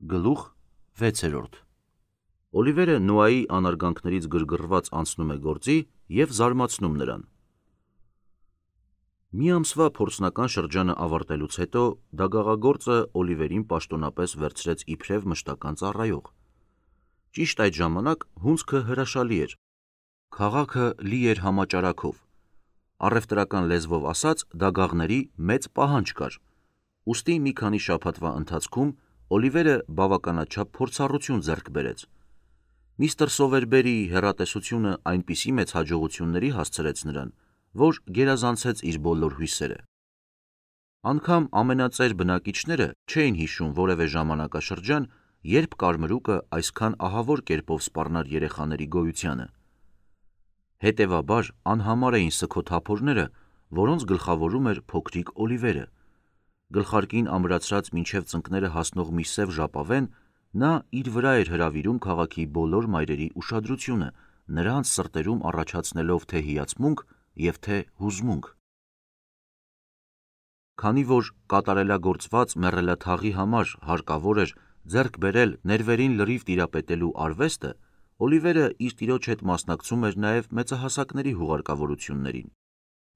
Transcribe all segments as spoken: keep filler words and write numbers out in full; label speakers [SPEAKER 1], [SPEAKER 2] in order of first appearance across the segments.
[SPEAKER 1] Գլուխ վեցերորդ Օլիվերը Նոայի անարգանքներից գրգռված անցնում է գործի և զարմացնում նրան։ Մի ամսվա փորձնական շրջանը ավարտելուց հետո դագաղագործը Օլիվերին պաշտոնապես վերցրեց իբրև մշտական ծառայող։ Ճիշտ այդ ժամանակ հունձքը հրաշալի էր։ Քաղաքը լի էր համաճարակով։ Առևտրական լեզվով ասած, դագաղների մեծ պահանջ կար։ Ուստի մի քանի շաբաթվա ընթացքում Օլիվերը բավականաչափ փորձառություն ձեռք բերեց։ Միստր Սովերբերիի հեռատեսությունը այնպիսի մեծ հաջողությունների հասցրեց նրան, որ գերազանցեց իր բոլոր հույսերը։ Անգամ ամենածեր բնակիչները չէին հիշում որևէ ժամանակաշրջան, երբ կարմրուկը այսքան ահավոր կերպով սպառնար երեխաների գոյությանը։ Հետևաբար անհամար էին սգոթափորները, որոնց գլխավորում էր փոքրիկ Օլիվերը։ Գլխարկին ամրացրած մինչև ծնկները հասնող մի սև ժապավեն, նա իր վրա էր հրավիրում քաղաքի բոլոր մայրերի ուշադրությունը, նրանց սրտերում առաջացնելով թե հիացմունք և թե հուզմունք։ Քանի որ կատարելագործված մեռելաթաղի համար հարկավոր էր ձեռք բերել ներվերին լրիվ տիրապետելու արվեստը, Օլիվերը իր տիրոջ հետ մասնակցում էր նաև մեծահասակների հուղարկավորություններին։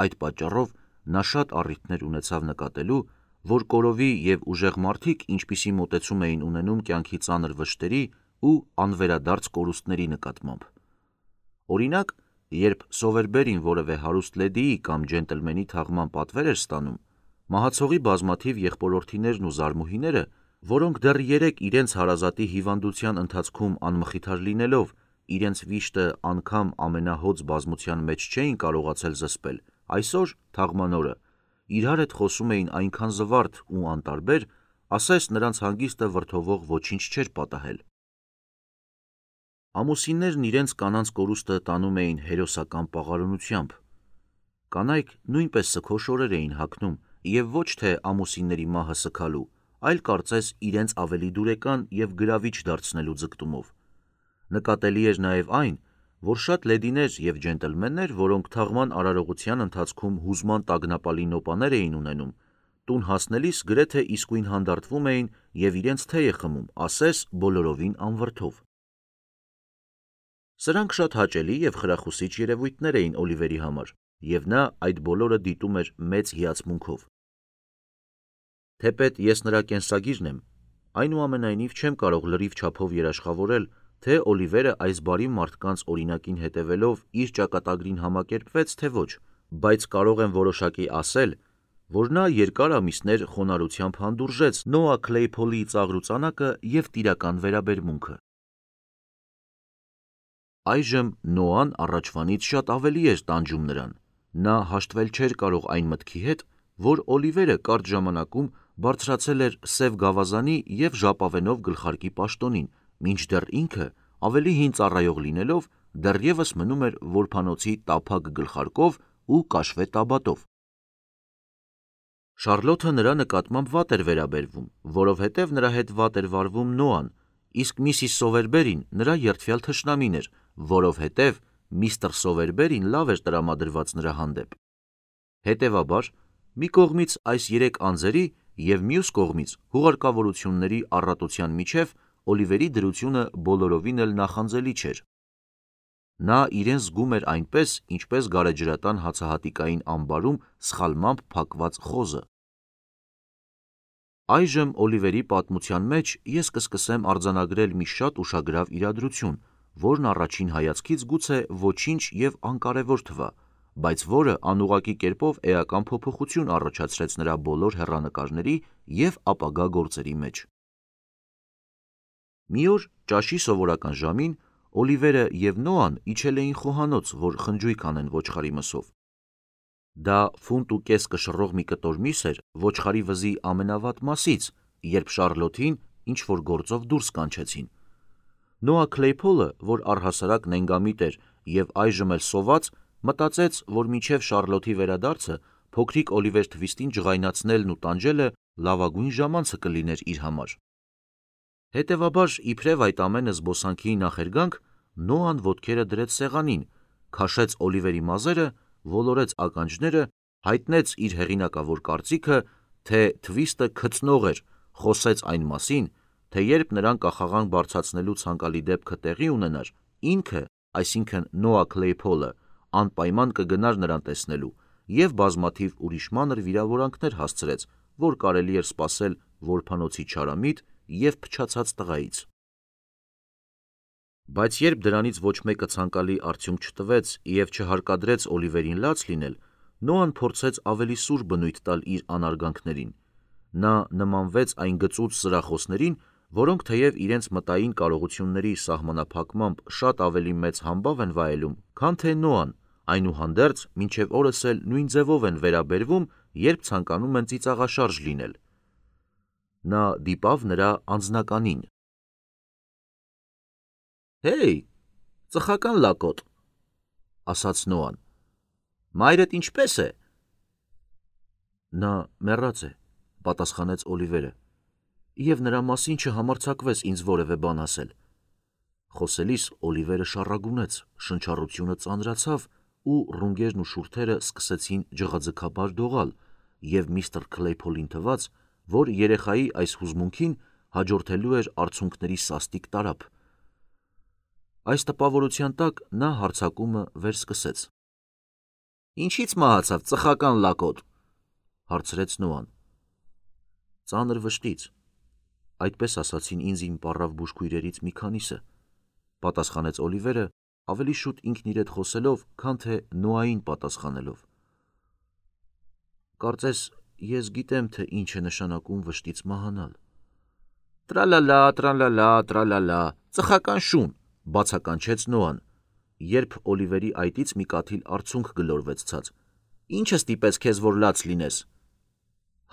[SPEAKER 1] Այդ պատճառով նա շատ առիթներ ունեցավ նկատելու, որ կորովի և ուժեղ մարդիկ ինչպիսի մոտեցում էին ունենում կյանքի ծանր վշտերի ու անվերադարձ կորուստների նկատմամբ։ Օրինակ, երբ Սովերբերին որևէ հարուստ լեդիի կամ ջենտլմենի թաղման պատվեր էր ստանում, մահացողի բազմաթիվ եղբորորդիներն ու զարմուհիները, որոնք դեռ երեկ իրենց հարազատի հիվանդության ընթացքում անմխիթար լինելով, իրենց վիշտը անգամ ամենահոծ բազմության մեջ չէին կարողացել զսպել, այսօր, թաղման օրը, իրար հետ խոսում էին այնքան զվարթ ու անտարբեր, ասես նրանց հանգիստը վրդովող ոչինչ չէր պատահել։ Ամուսիններն իրենց կանանց կորուստը տանում էին հերոսական պաղարունությամբ։ Կանայք նույնպես սգո շորեր էին հագնում և ոչ թե ամուսինների մահը սգալու, այլ կարծես իրենց ավելի դուրեկան և գրավիչ դարձնելու ձգտումով։ Նկատելի էր նաև այն, որ շատ լեդիներ և ջենտլմեններ, որոնք թաղման արարողության ընթացքում հուզման տագնապալի նոպաներ էին ունենում, տուն հասնելիս գրեթե իսկույն հանդարտվում էին և իրենց թեյը խմում, ասես բոլորովին անվրդով։ Սրանք շատ հաճելի և խրախուսիչ երևույթներ էին Օլիվերի համար, և նա այդ բոլորը դիտում էր մեծ հիացմունքով։ Թեպետ ես նրա կենսագիրն եմ, այնուամենայնիվ չեմ կարող լրիվ չափով երաշխավորել, թե Օլիվերը այս բարի մարդկանց օրինակին հետևելով իր ճակատագրին համակերպվեց, թե ոչ, բայց կարող եմ որոշակի ասել, որ նա երկար ամիսներ խոնարհությամբ հանդուրժեց Նոա Քլեյփոլի ծաղրուծանակը և տիրական վերաբերմունքը։ Այժմ Նոան առաջվանից շատ ավելի էր տանջում նրան։ Նա հաշտվել չէր կարող այն մտքի հետ, որ Օլիվերը կարճ ժամանակում բարձրացել էր սև գավազանի և ժապավենով գլխարկի պաշտոնին, մինչդեռ ինքը, ավելի հին ծառայող լինելով, դեռևս մնում էր որբանոցի տափակ գլխարկով ու կաշվե տաբատով։ Շառլոթը նրա նկատմամբ վատ էր վերաբերվում, որովհետև նրա հետ վատ էր վարվում Նոան, իսկ միսիս Սովերբերին նրա երդվյալ թշնամին էր, որովհետև միստր Սովերբերին լավ էր տրամադրված նրա հանդեպ։ Հետևաբար, մի կողմից այս երեք անձերի և մյուս կողմից հուղարկավորությունների առատության միջև Օլիվերի դրությունը բոլորովին էլ նախանձելի չէր։ Նա իրեն զգում էր այնպես, ինչպես գարեջրատան հացահատիկային ամբարում սխալմամբ փակված խոզը։ Այժմ Օլիվերի պատմության մեջ ես կսկսեմ արձանագրել մի շատ ուշագրավ իրադրություն, որն առաջին հայացքից գուցե ոչինչ և անկարևոր թվա, բայց որը անուղղակի կերպով էական փոփոխություն առաջացրեց նրա բոլոր հեռանկարների և ապագա գործերի մեջ։ Մի օր ճաշի սովորական ժամին Օլիվերը և Նոան իջել էին խոհանոց, որ խնջույք անեն ոչխարի մսով։ Դա ֆունտ ու կես կշռող մի կտոր միս էր ոչխարի վզի ամենավատ մասից, երբ Շառլոթին ինչ-որ գործով դուրս կանչեցին։ Նոա Քլեյփոլը, որ առհասարակ նենգամիտ էր և այժմ էլ սոված, մտածեց, որ մինչև Շառլոթի վերադարձը փոքրիկ Օլիվեր Թվիստին ջղայնացնելն ու տանջելը լավագույն ժամանցը կլիներ իր համար։ Հետևաբար, իբրև այդ ամենը զբոսանքի նախերգանք, Նոան ոտքերը դրեց սեղանին, քաշեց Օլիվերի մազերը, ոլորեց ականջները, հայտնեց իր հեղինակավոր կարծիքը, թե Թվիստը քծնող էր, խոսեց այն մասին, թե երբ նրան կախաղան բարձրացնելու ցանկալի դեպքը տեղի ունենար, ինքը, այսինքն Նոա Քլեյփոլը, անպայման կգնար նրան տեսնելու և բազմաթիվ ուրիշ մանր վիրավորանքներ հասցրեց, որ կարելի էր սպասել որբանոցի չարամիտ և փչացած տղայից։ Բայց երբ դրանից ոչ մեկը ցանկալի արդյունք չտվեց և չհարկադրեց Օլիվերին լաց լինել, Նոան փորձեց ավելի սուր բնույթ տալ իր անարգանքներին։ Նա նմանվեց այն գծուծ սրախոսներին, որոնք թեև իրենց մտային կարողությունների սահմանափակմամբ շատ ավելի մեծ համբավ են վայելում, քան թե Նոան, այնուհանդերձ մինչև օրս էլ նույն ձևով են վերաբերվում, երբ ցանկանում են ծիծաղաշարժ լինել։ Նա դիպավ նրա անձնականին։ «Հեյ, ծխական լակոտ», ասաց Նոան, «մայրդ ինչպե՞ս է»։ Նա մեռած է, պատասխանեց Օլիվերը, և նրա մասին չհամարձակվես ինձ որևէ բան ասել։ Խոսելիս Օլիվերը շառագունեց, շնչառությունը ծանրացավ ու ռունգերն ու շուրթերը սկսեցին ջղաձգաբար դողալ, և միստր Քլեյփոլին թվաց, որ երեխայի այս հուզմունքին հաջորդելու էր արցունքների սաստիկ տարափ։ Այս տպավորության տակ նա հարձակումը վերսկսեց։ «Ինչի՞ց մահացավ, ծխական լակոտ», հարցրեց Նոան։ «Ծանր վշտից, այդպես ասացին ինձ իմ պառավ բուժքույրերից մի քանիսը», պատասխանեց Օլիվերը, ավելի շուտ ինքն իր հետ խոսելով, քան թե Նոային պատասխանելով։ «Կարծես ես գիտեմ, թե ինչ է նշանակում վշտից մահանալ»։ «Տրալալա, տրալալա, տրալալա, ծխական շուն», բացականչեց Նոան, երբ Օլիվերի այտից մի կաթիլ արցունք գլորվեց ցած։ «Ի՞նչը ստիպեց քեզ, որ լաց լինես»։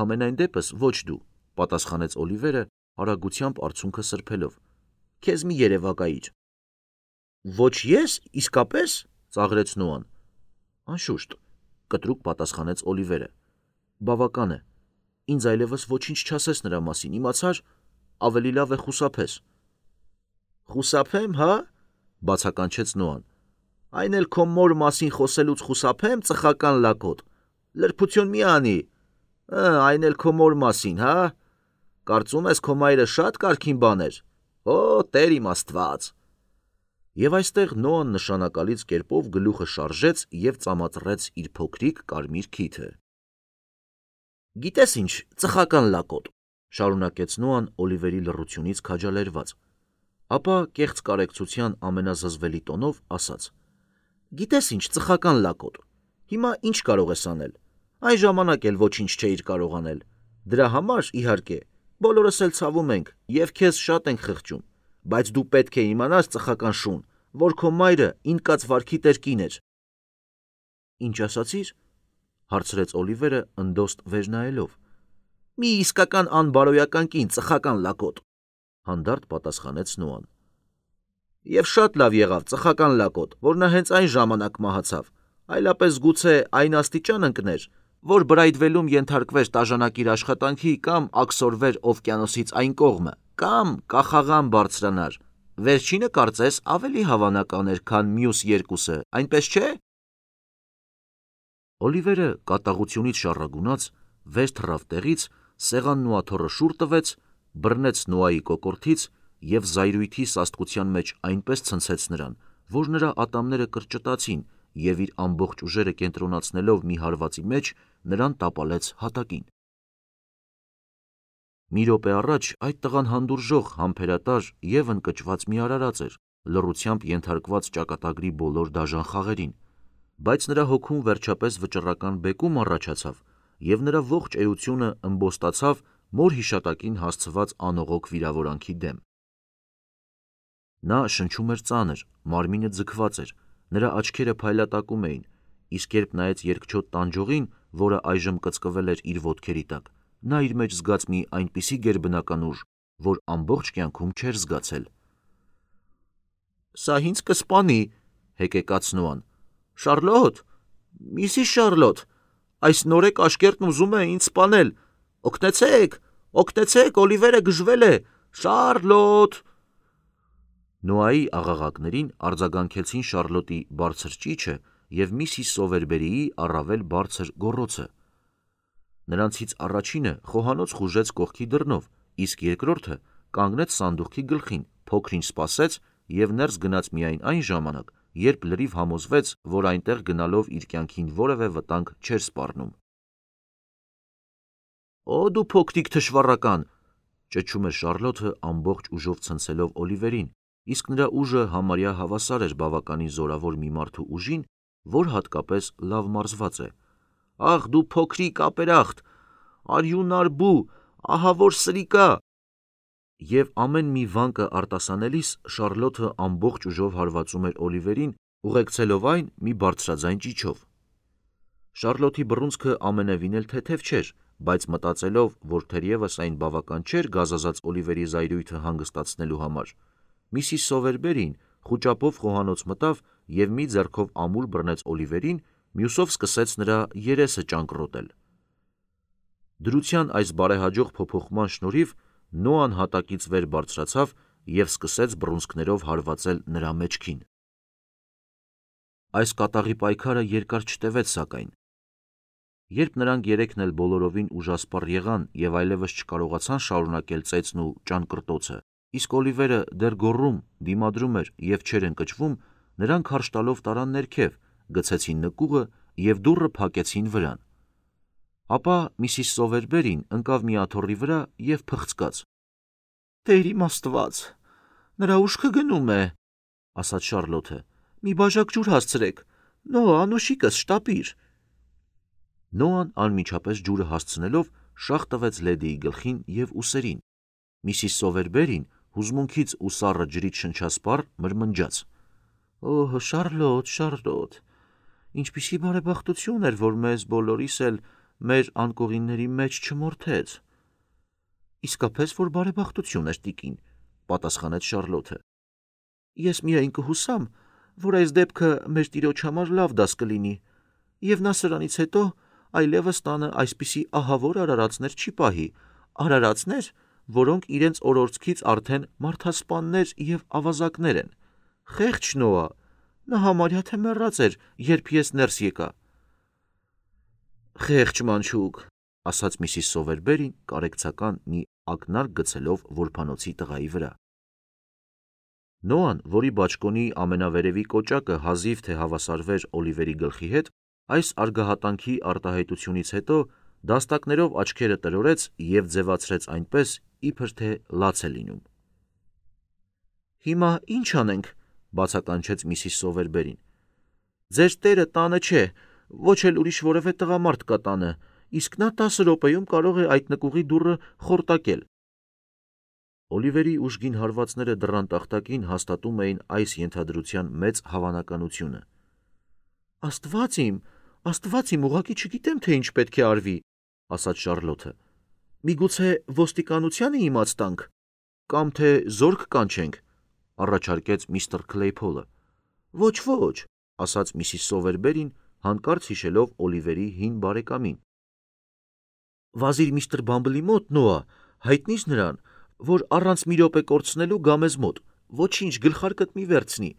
[SPEAKER 1] «Համենայն դեպս ոչ դու», պատասխանեց Օլիվերը, արագությամբ արցունքը սրբելով։ «Քեզ մի երևակայիր»։ «Ոչ ես, իսկապես», ծաղրեց Նոան։ «Անշուշտ», կտրուկ պատասխանեց Օլիվերը։ «Բավական է, ինձ այլևս ոչինչ չասես նրա մասին, իմացա՞ր, ավելի լավ է խուսափես»։ «Խուսափեմ, հա՞, բացականչեց Նոան։ «Այն էլ քո մոր մասին խոսելուց խուսափեմ, ծխական լակոտ, լրբություն մի անի, այն էլ քո մոր մասին, հա՞։ Կարծում ես քո մայրը շատ կարգին բան էր, օ, Տեր իմ Աստված»։ Եվ այստեղ Նոան նշանակալից կերպով գլուխը շարժեց և ծամածռեց իր փոքրիկ կարմիր քիթը։ «Գիտես ինչ, ծխական լակոտ», շարունակեց Նոան Օլիվերի լռությունից քաջալերված, ապա կեղծ կարեկցության ամենազզվելի տոնով ասաց. «Գիտես ինչ, ծխական լակոտ, հիմա ինչ կարող ես անել։ Այն ժամանակ էլ ոչինչ չէիր կարող անել։ Դրա համար, իհարկե, բոլորս էլ ցավում ենք և քեզ շատ ենք խղճում, բայց դու պետք է իմանաս, ծխական շուն, որ քո մայրը ինկած վարքի տեր կին էր»։ «Ինչ ասացիր»։ հարցրեց Օլիվերը ընդոստ վեր նայելով։ «Մի իսկական անբարոյական կին, ծխական լակոտ», հանդարտ պատասխանեց Նոան։ «Եվ շատ լավ եղավ, ծխական լակոտ, որ նա հենց այն ժամանակ մահացավ, այլապես գուցե այն աստիճան ընկներ, որ բրայդվելում ենթարկվեր տաժանակիր աշխատանքի կամ աքսորվեր օվկիանոսից այն կողմը, կամ կախաղան բարձրանար։ Վերջինը կարծես ավելի հավանական էր, քան մյուս երկուսը, այնպես չէ՞։ Օլիվերը կատաղությունից շառագունած վեր թռավ տեղից, սեղանն ու աթոռը շուռ տվեց, բռնեց Նոայի կոկորդից և զայրույթի սաստկության մեջ այնպես ցնցեց նրան, որ նրա ատամները կրճտացին և իր ամբողջ ուժերը կենտրոնացնելով մի հարվածի մեջ, նրան տապալեց հատակին։ Մի րոպե առաջ այդ տղան հանդուրժող, համբերատար և ընկճված մի արարած էր, լռությամբ ենթարկված ճակատագրի բոլոր դաժան խաղերին, բայց նրա հոգում վերջապես վճռական բեկում առաջացավ, և նրա ողջ էությունը ըմբոստացավ մոր հիշատակին հասցված անողոք վիրավորանքի դեմ։ Նա շնչում էր ծանր, մարմինը ձգված էր, նրա աչքերը փայլատակում էին, իսկ երբ նայեց երկչոտ տանջողին, որը այժմ կծկվել էր իր ոտքերի տակ, նա իր մեջ զգաց մի այնպիսի գերբնական ուժ, որ ամբողջ կյանքում չէր զգացել։ «Սա ինձ կսպանի», հեկեկաց Նոան։ «Շառլոտ, Միսիս Շառլոտ, այս նորեկ աշկերտն ուզում է ինձ սպանել, օգնեցեք, օգնեցեք, Օլիվերը գժվել է, Շառլոտ»։ Նոայի աղաղակներին արձագանքեցին Շառլոտի բարձր ճիչը և միսիս Սովերբերիի առավել բարձր գոռոցը։ Նրանցից առաջինը խոհանոց խուժեց կողքի դռնով, իսկ երկրորդը կանգնեց սանդուղքի գլխին, փոքր-ինչ սպասեց և ներս գնաց միայն այն ժամանակ, երբ լրիվ համոզվեց, որ այնտեղ գնալով իր կյանքին որևէ վտանգ չէր սպառնում։ «Օ դու փոքրիկ թշվառական», ճչում էր Շարլոթը ամբողջ ուժով ցնցելով Օլիվերին, իսկ նրա ուժը համարյա հավասար էր բավականին զորավոր մի մարդու ուժին, որ հատկապես լավ մարզված է։ «Ախ դու փոքրիկ ապերախտ, արյունարբու, ահավոր սրիկա»։ Եվ ամեն մի վանկը արտասանելիս Շարլոթը ամբողջ ուժով հարվածում էր Օլիվերին, ուղեկցելով այն մի բարձրաձայն ճիչով։ Շարլոթի բռունցքը ամենևին էլ թեթև չէր, բայց մտածելով, որ թերևս այն բավական չէր գազազած Օլիվերի զայրույթը հանգստացնելու համար, Միսիս Սովերբերին խուճապով խոհանոց մտավ և մի ձեռքով ամուր բռնեց Օլիվերին, մյուսով սկսեց նրա երեսը ճանկռոտել։ Դրության այս բարեհաջող փոփոխման շնորհիվ Նոան հատակից վեր բարձրացավ և սկսեց բռունցքներով հարվածել նրա մեջքին։ Այս կատաղի պայքարը երկար չտևեց սակայն։ Երբ նրանք երեքն էլ բոլորովին ուժասպառ եղան և այլևս չկարողացան շարունակել ծեծն ու ճանկռտոցը, իսկ Օլիվերը դեռ գոռում, դիմադրում էր և չէր ընկճվում, նրանք հարճ տալով տարան ներքև, գցեցին նկուղը և դուռը փակեցին վրան։ Ապա Միսիս Սովերբերին ընկավ մի աթոռի վրա և փխցկաց։ «Տեր իմ Աստված, նրա ուշքը գնում է», ասաց Շարլոթը, «մի բաժակ ջուր հասցրեք, Նոա, անուշիկս, շտապիր»։ Նոան անմիջապես ջուրը հասցնելով շաղ տվեց լեդիի գլխին և ուսերին։ Միսիս Սովերբերին հուզմունքից ու սառը ջրից շնչասպառ մրմնջաց. «Օհ, Շարլոթ, Շարլոթ, ինչպիսի բարեբախտություն էր, որ մեզ բոլորիս էլ մեր անկողինների մեջ չմորթեց»։ «Իսկապես որ բարեբախտություն էր, տիկին», պատասխանեց Շարլոթը։ «Ես միայն կհուսամ, որ այս դեպքը մեր տիրոջ համար լավ դաս կլինի, և նա սրանից հետո այլևս տանը այսպիսի ահավոր արարածներ չի պահի, արարածներ, որոնք իրենց օրորցքից արդեն մարդասպաններ և ավազակներ են։ Խեղճ Նոա, նա համարյա թե մեռած էր, երբ ես ներս եկա»։ «Խեղճ մանչուկ», ասաց Միսիս Սովերբերին կարեկցական մի ակնարկ գցելով որբանոցի տղայի վրա։ Նոան, որի բաճկոնի ամենավերևի կոճակը հազիվ թե հավասարվեր Օլիվերի գլխի հետ, այս արգահատանքի արտահայտությունից հետո դաստակներով աչքերը տրորեց և ձևացրեց այնպես, իբր թե լաց է լինում։ «Հիմա ի՞նչ անենք», բացականչեց Միսիս Սովերբերին։ «Ձեր տերը տանը չէ, ոչ էլ ուրիշ որևէ տղամարդ կա տանը, իսկ նա տասը րոպեում կարող է այդ նկուղի դուռը խորտակել»։ Օլիվերի ուժգին հարվածները դռան տախտակին հաստատում էին այս ենթադրության մեծ հավանականությունը։ «Աստված իմ, Աստված իմ, ուղղակի չգիտեմ, թե ինչ պետք է արվի», ասաց Շարլոթը։ «Միգուցե ոստիկանությանը իմաց տանք, կամ թե զորք կանչենք», առաջարկեց միստր Քլեյփոլը։ «Ոչ, ոչ», ասաց Միսիս Սովերբերին, հանկարծ հիշելով Օլիվերի հին բարեկամին։ «Վազիր միստր Բամբլի մոտ, Նոա, հայտնիր նրան, որ առանց մի րոպե կորցնելու գա մեզ մոտ, ոչինչ, գլխարկդ մի վերցնի,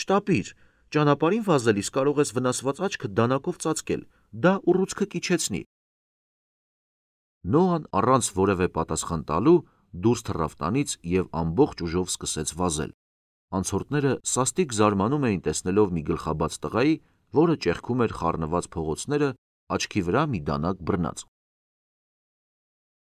[SPEAKER 1] շտապիր, ճանապարհին վազելիս կարող ես վնասված աչքդ դանակով ծածկել, դա ուռուցքը կիջեցնի»։ Նոան առանց որևէ պատասխան տալու դուրս թռավ տանից և ամբողջ ուժով սկսեց վազել։ Անցորդները սաստիկ զարմանում էին տեսնելով մի գլխաբաց տղայի, որը ճեղքում էր խառնված փողոցները, աչքի վրա մի դանակ բռնած։